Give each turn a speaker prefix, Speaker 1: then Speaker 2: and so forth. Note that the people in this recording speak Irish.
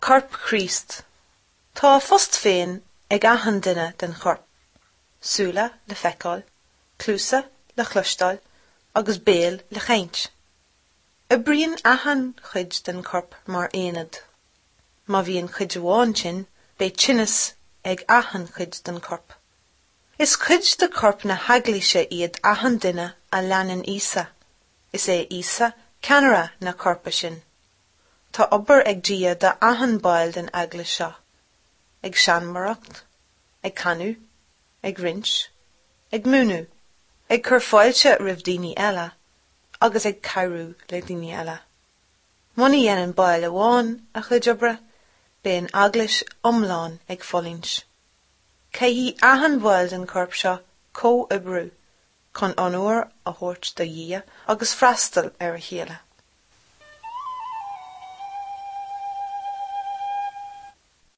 Speaker 1: Corp Chríost. Tá a phost féin ag achan duine den chorp. Súile le feiceáil, cluasa le chloisteáil agus béal le chaint. Oibríonn achan chuid den chorp mar aonad. Má bhíonn cuid amháin tinn, beidh tinneas ag achan chuid den chorp. Is cuid de chorp na heaglaise iad achan duine a leanann Íosa. Is é Íosa ceannaire na coirpe sin. Tá obair ag Dia do achan ball den eaglais seo, ag seanmóireacht, ag canadh, ag roinnt, ag múineadh, ag cur fáilte roimh daoine eile agus ag cabhrú le daoine eile. Muna dhéanann ball amháin a chuid oibre, beidh an eaglais iomlán ag fulaingt. Caithfidh achan bhall den chorp seo comhoibriú chun onóir a thabhairt do Dhia agus freastal ar a chéile.